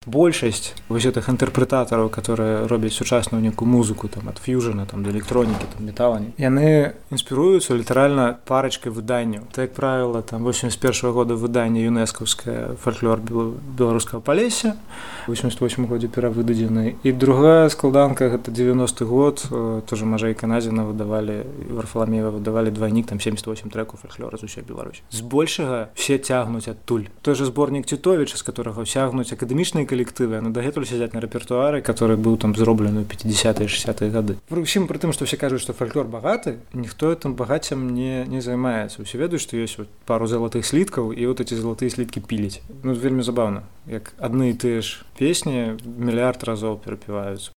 большасць вось гэтых інтэрпрэтатараў, которые робяць сучасную нейкую музыку там ад фьюжана там да электронікі, там металані, яны інспіруюцца літаральна парачкай выданняў. Так, як правіла, там 81-го года выданне юнэскаўскае фальклор беларускага Палесся, у 88 годзе перавыдадзены. І другая складанка гэта 90-й год, тоже Мажэй Канадзіна выдавалі, Варфаламеева выдавалі двайнік, там 78 трэкаў фальклора з усёй Беларусі. Збольшага все цягнуць адтуль. Той жа зборнік Цітовіча, з которого цягнуць акадэмічныя калектывы, яны дагэтуль сядзяць на рэпертуары, который быў там зроблены ў 50-е 60-е гады. Прычым пры тым, што все кажуць, што фальклор багаты, ніхто гэтым багаццем не займаецца. Усе ведаюць, што ёсць вот пару залатых сліткаў, і вот эти залатыя сліткі піліць. Ну, вельмі забаўна, як адны і тыя ж песні мільярд разоў перапіваюцца.